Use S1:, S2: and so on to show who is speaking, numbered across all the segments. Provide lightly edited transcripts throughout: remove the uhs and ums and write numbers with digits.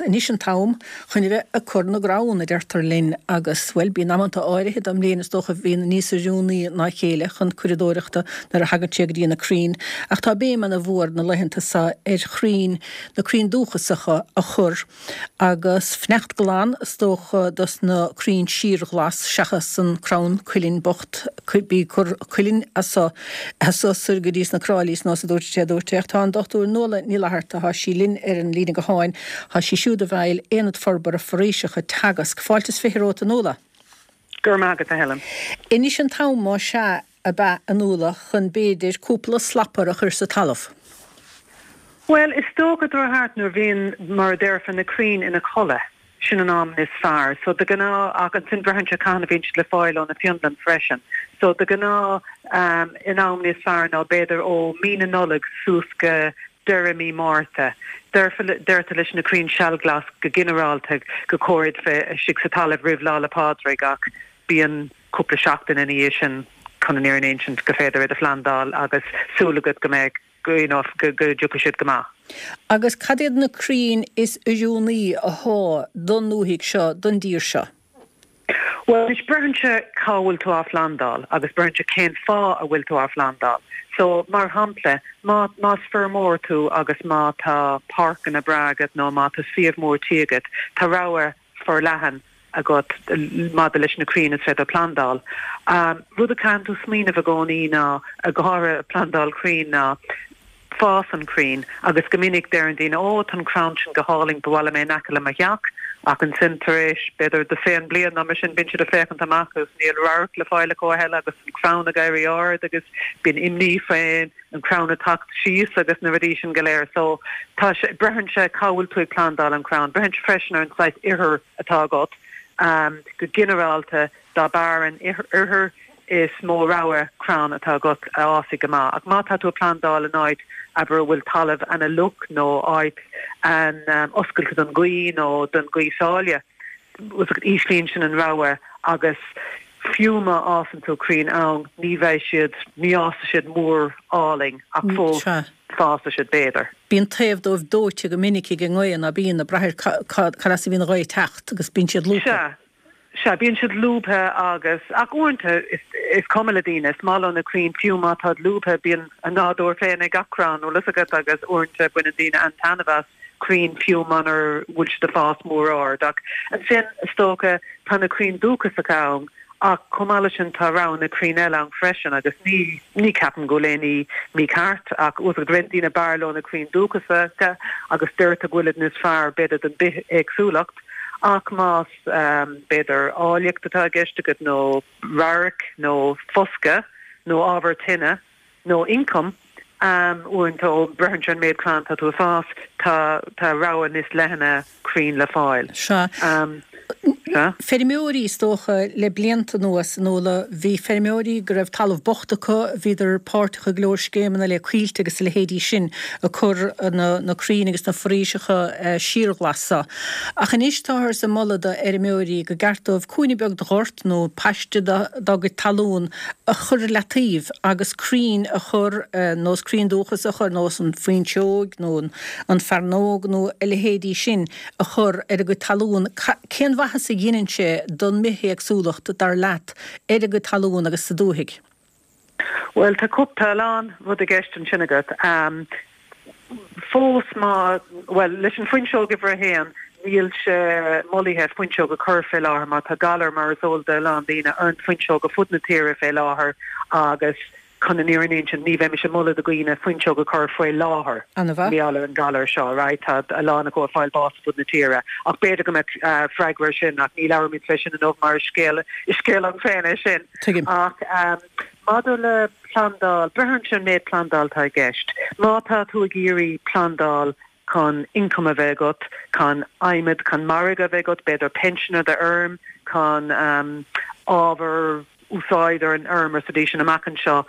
S1: Anois an t-am chun a bheith ag cur na gcrann, a deirtear linn, agus, bhuel, bíonn amanta áirithe den mbliain is dócha a bhíonn níos oiriúnaí ná a chéile chun curadóireachta nuair a thagann sé go dtí na crainn. Ach tá béim ana mhór na laethanta seo ar chrainn, na crainn dúchasacha a chur. Agus fanacht glan is dócha dos na crainn síorghlas seachas an crann cuilinn bocht, bí ag cur cuilinn as so as so soir go dtí sna Cráilís nós a dúirt sé a dúirt sé ach tá an Dr Nuala Ní Fhlatharta tá sí linn ar an líne gutháin tá sí siúd i bhfeighil Aonad Forbartha Foraoiseacha Teagasc. Fáilte is 20 romhat a Nuala.
S2: Go raibh maith agat a Helen.
S1: Anois an t-am más ea ab ea a Nuala chun b'fhéidir cúpla slapar a chur sa talamh.
S2: Bhuel is dócha gur thart nuair bhíonn mar a déarfá na crainn ina codladh. Sin an am is fearr. So de ghnáth, ach ansin braitheann sé cathain a bhíonn siad le fáil ó na Fionlainn freisin. So de ghnáth an am níos fearr ná b'fhéidir ó mí na Nollag suas go deireadh mí Márta. Deirtear leis na crainn sealghlas go ginearálta gur chóir iad bheith istigh sa talamh roimh Lá 'le Pádraig ach bíonn cúpla seachtain ina dhiaidh sin chun an fhírinne a insint gur féidir iad a phlandáil agus súil agat go mbeidh go you know go dtiocfaidh siad go maith.
S1: Agus cad iad na crainn is oiriúnaí athá don ndúthaigh seo, don dtír seo?
S2: Bhuel anois braitheann sé cá bhfuil tú á phlandáil agus braitheann sé cén fáth a bhfuil tú á phlandáil. So mar shampla má más feirmeoir tú agus má tá páirceanna breá agat nó má tá suíomh mór tí agat tá rogha forleathan agat maidir leis na crainn is féidir plandáil. Rud a chaitheann tú smaoineamh i gcónaí ná, go háirithe plandáil crainn, ná fás an chrainn agus go minic deireann daoine ó tá an crann sin go hálainn, ba mhaith liom é in aice le mo theach ach ansin tar éis b'fhéidir dosaen bliain nó mar sin bíonn siad ag féachaint amach agus níl radharc le fáil acu a thuilleadh agus an crann ag éirí ard agus bíonn imní faoin an crann ag teacht síos agus na rudaí sin go léir. So tá sé, braitheann sé cá bhfuil tú ag plandáil an crann. Braitheann sé freisin ar an saghas ithir atá agat. Go ginearálta dá b'fhearr an ithir is mó rogha crann atá agat a fhásfaidh go maith. Ach má tá tú ag plandáil in áit abair a bhfuil talamh ana-fhliuch nó áit an-oscailte don ghaoth nó don ghaoth sáile, íslíonn sin an rogha agus fiú má fhásann tú crainn ann ní bheidh siad, ní fhásfaidh siad mór álainn ach fós fásfaidh siad b'fhéidir.
S1: Bíonn taobh dóibh dóite go minic ag an ngaoth, ná bíonn, ag brath ar cad as a bhíonn an ghaoth ag teacht agus bíonn siad lúbtha.
S2: Sea, sea, bíonn siad lúbtha agus, ach uaireanta is cuma le daoine, is maith leo na crainn fiú má táid lúbtha, bíonn a nádúr féin ag gach crann, bhfuil fhios agat, agus uaireanta baineann daoine an-taitneamh as. crainn fiú munar bhfuil siad ag fás mór ard. Ach ansin, is dócha, tá na crainn dúchasacha ann ach chomh maith leis sin tá roghanna crainn eile ann freisin agus ní, ní ceapaim go bhfuil aon ní mícheart ach bhfuil fhios agat roinnt daoine b'fhearr leo na crainn dúchasacha agus deirtear go bhfuilid níos fearr b'fhéidir don bithéagsúlacht ach más b'fhéidir áilleacht atá i gceist agat nó radharc nó foscadh nó ábhar tine, nó ioncam, uaireanta ó braitheann sé an méid crann atá tú ag fás, tá tá rogha níos leithne crainn le fáil.
S1: Sea. Sea. Feirmeoirí, is dócha, le blianta anuas, a Nuala, bhí feirmeoirí go raibh talamh bocht acu, bhíodar páirteach i go leor scéimeanna le coillte agus a leithéidí sin, ag cur na na crainn agus na foraoiseacha síorghlas so. Ach anois táthar ag moladh do fheirmeoirí go gceart dóibh cúinne beag de ghort nó paiste dá gcuid talún a chur ar leataobh agus crainn a chur, nós crainn dúchas a chur, nós an fuinseoig nó an fearnóg nó a leithéidí sin a chur ar a gcuid talún. Cén mhaitheas a dheineann sé don mbithéagsúlacht, dar leat, ar a gcuid talún agus sa dúthaigh?
S2: Bhuel, tá cúpla, tá a lán rud i gceist ansin agat. Fós má, bhuel, leis an fuinseog uimhir a haon, níl sé molaithe fuinseog a chur fé láthair mar tá galar, mar is eol do a lán daoine, ar an fuinseog ar fud na tíre fé láthair agus chun an fhírinne a insint, ní bheimis ag moladh do dhaoine fuinseog a chur faoi láthair
S1: mar
S2: gheall ar an galar seo, right? Tá a lán acu ag fáil bás ar fud na tíre ach b'fhéidir go mbeadh freagra ar sin ach ní labhróimid fé sin inniu mar is scéal, is scéal ann féin é sin.
S1: Tuigim.
S2: Ach maidir le plandáil, braitheann sé an méid plandáil atá i gceist. Má tá tú ag iarraidh plandáil chun income a bheith agat, chun adhmad, chun margadh a bheith agat, b'fhéidir pinsean ar do fheirm, chun ábhar úsáid ar an fheirm ar sa dóigh sin amach anseo.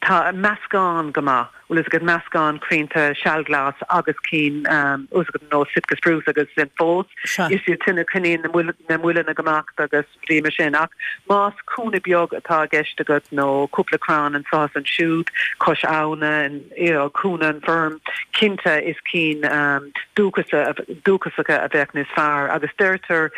S2: Tá meascán go maith, bhfuil fhios agat, meascán crainnte sealghlas agus cinn, bhfuil fhios agat, nó Sitka spruce agus sin fós. Is iad sin a choinníonn na muileanna go maith agus rudaí mar sin. Ach más cúinne beag atá i gceist agat nó cúpla crann anseo is ansiúd cois abhna, you know, cúinne an feirm, cinnte is cinn dúchasacha a bheadh níos fearr. Agus deirtear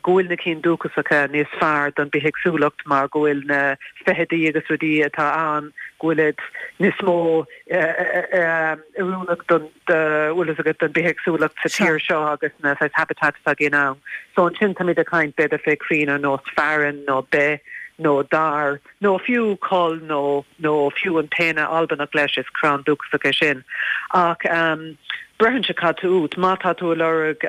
S2: go bhfuil na cinn dúchasacha níos fearr don bithéagsúlacht mar go bhfuil na feithidí agus rudaí atá ann, go bhfuilid níos mó oiriúnach don, bhfuil fhios agat, don bithéagsúlacht sa tír seo agus na saghas habitats atá againn ann. So ansin táimid ag caint b'fhéidir fé crainn ar nós fearann nó beith nó dair nó fiú coll nó nó fiú an péine Albanach leis, is crann dúchasach é sin. Ach braitheann sé cad tá uait. Má tá tú ag lorg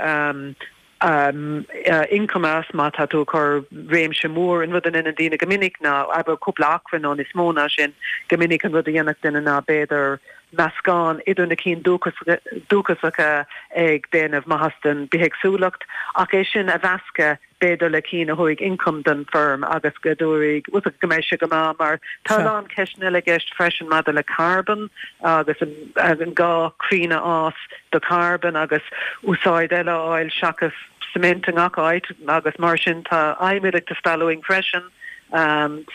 S2: ioncam as, má tá tú ag cur réimse mór, an rud a ndeineann daoine go minic ná, abair cúpla acra nó níos mó ná sin, go minic an rud a dhéanfadh duine ná b'fhéidir meascán idir na cinn dúchasacha ag déanamh maitheas don bithéagsúlacht ach é sin a mheascadh b'fhéidir le cinn a thabharfaidh ioncam don feirm agus go dtabharfaidh, bhfuil fhios agat, go mbeidh sé go maith mar tá a lán ceisteanna eile i gceist freisin maidir le carbon agus an gá crainn a fhás do charbon agus úsáid eile a fháil seachas cement i ngach áit agus mar sin tá adhmad ag teastáil uainn freisin.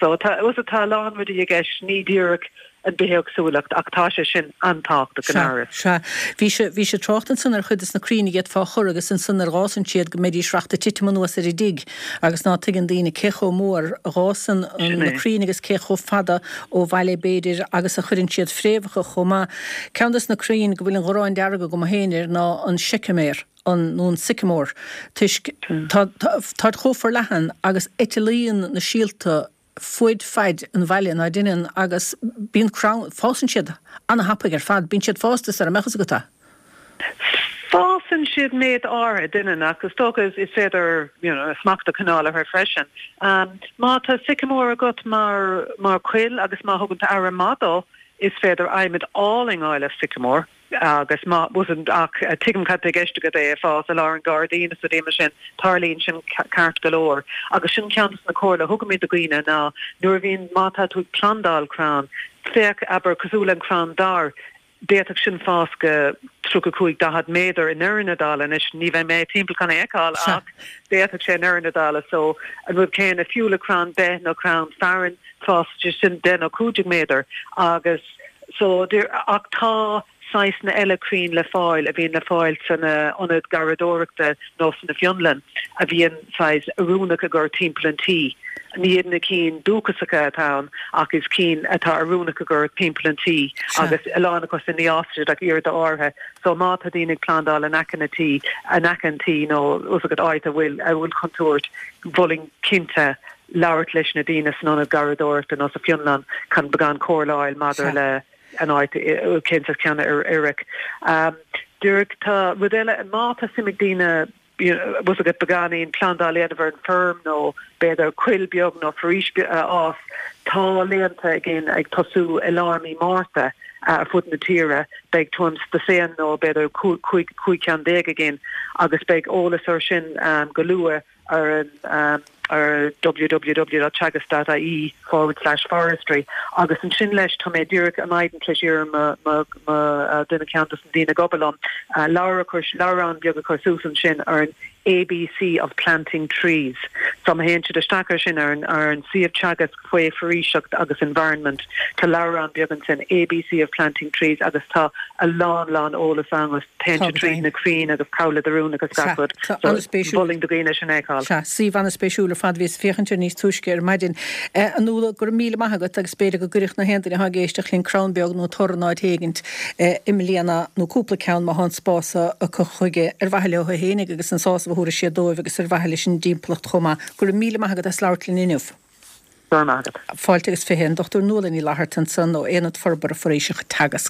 S2: So tá, bhfuil fhios agat, tá a lán rudaí i gceist, ní díreach an bithéagsúlacht ach tá sé sin an-tábhachtach gan amhras.
S1: Sea. Bhí sé, bhí sé ag trácht ansan ar chuid des na crainn a d'fhéadfá a chur agus ansan nuair a dh'fhásann siad go mbeidís reacht ag titim anuas ar an dtigh agus ná tuigeann daoine cé chomh mór a dh'fhásann na crainn agus cé chomh fada ó bhaile b'fhéidir agus a chuireann siad fréamhacha chomh maith. Ceann des na crainn go bhfuil an ghráin dearg agam féin air ná an seiceaméar, an, nó an sycamore, toisc tá, tá, táid chomh forleathan agus eiteallaíonn na síolta fuaid faid an bhaile ná deineann agus bíonn crann, fásann siad ana-thapaidh ar fad, bíonn siad fásta sara mbeadh fhios agat é.
S2: Fásann siad méid áirithe, deineann, ach is dócha is féidir you know smacht a choinneáil orthu freisin. Má tá sycamore agat mar mar choill agus má thugann tú aire maith dó, is féidir adhmad álainn a fháil as sycamore. Agus má, ach tuigim cad tá i gceist agat, é ag fás i lár an ghairdín is rudaí mar sin, tarlaíonn sin ceart go leor. Agus sin ceann de na comhairle a thugaimid do dhaoine ná nuair a bhíonn, má tá tú ag plandáil crann, féach, abair, cosúil le an crann dair, d'fhéadfadh sin fás go 35, 40 méadar i ndeireadh na dála. Anois, ní bheidh mé timpeall chun é a fheiceáil ach d'fhéadfadh sé i ndeireadh na dála. So, an rud céanna, fiú le crann beith nó crann fearainn, fásfaidh sé sin 10 nó 15 méadar agus so, ach tá saghsanna eile crainn le fáil a bhíonn le fáil san ionad garraíodóireachta nó sna fionlann a bhíonn saghas oiriúnach a gcur timpeall an tí. Ní iad na cinn dúchasacha atá ann ach is cinn atá oiriúnach a gcur timpeall an tí agus a lán acu sin ní fhásfaidh siad ach oiread áirithe. So má tá daoine ag plandáil in aice na tí, in aice an tí nó fhios agat áit a bhfuil a bhfuil contúirt, mholfainn cinnte labhairt leis na daoine san ionad garraíodóireachta nó sa Fionlann chun beagán comhairle a fháil maidir le an áit, cén saghas ceann a oirfeadh. Díreach tá rud eile, má tá suim ag daoine bhfuil fhios agat beagáinín plandáil a dhéanamh ar an bhfeirm nó b'fhéidir coill beag nó foraois a fhás, tá laethanta againn ag tosú i lár mí Márta ar fud na tíre. Beidh tuairim is dosaen nó b'fhéidir 15 ceann againn agus beidh eolas ar sin go luath. ar an ar www.teagasc.ie forward slash forestry agus ansin leis tá mé díreach ar maidin tar éis iarraidh mo mo mo duine ceann dos na daoine ag obair liom leabhar a chur leabhrán beag a chur suas ansin ar an ABC of planting trees. So má théann siad isteach ar sin ar an ar an suíomh Teagasc faoi foraoiseacht agus environment tá leabhrán beag ansin ABC of planting trees agus tá a lán lán eolas ann agus téann sé tríd na crainn agus cá bhfuil siad oiriúnach agus gach rud. So mholfainn do dhaoine sin a fheiceáil.
S1: Sea, suíomh an-spéisiúil ar fad. Bhíos ag féachaint air níos túisce ar maidin. A Nuala, go raibh míle maith agat agus b'fhéidir go gcuirfeadh na haon duine atá ag éisteacht linn crann beag nó tor in áit éigint i mbliana, nó cúpla ceann má tá an spás acu chuige, ar mhaithe leo fhéinig agus an sásamh a thabharfaidh siad dóibh agus ar mhaithe leis an dtimpeallacht chomh maith. Go raibh míle maith agat as labhairt linn inniu.
S2: Go raibh maith agat.
S1: Fáilte agus 20, an Dr Nuala Ní Fhlatharta ansan ó Aonad Forbartha Foraoiseachta Teagasc.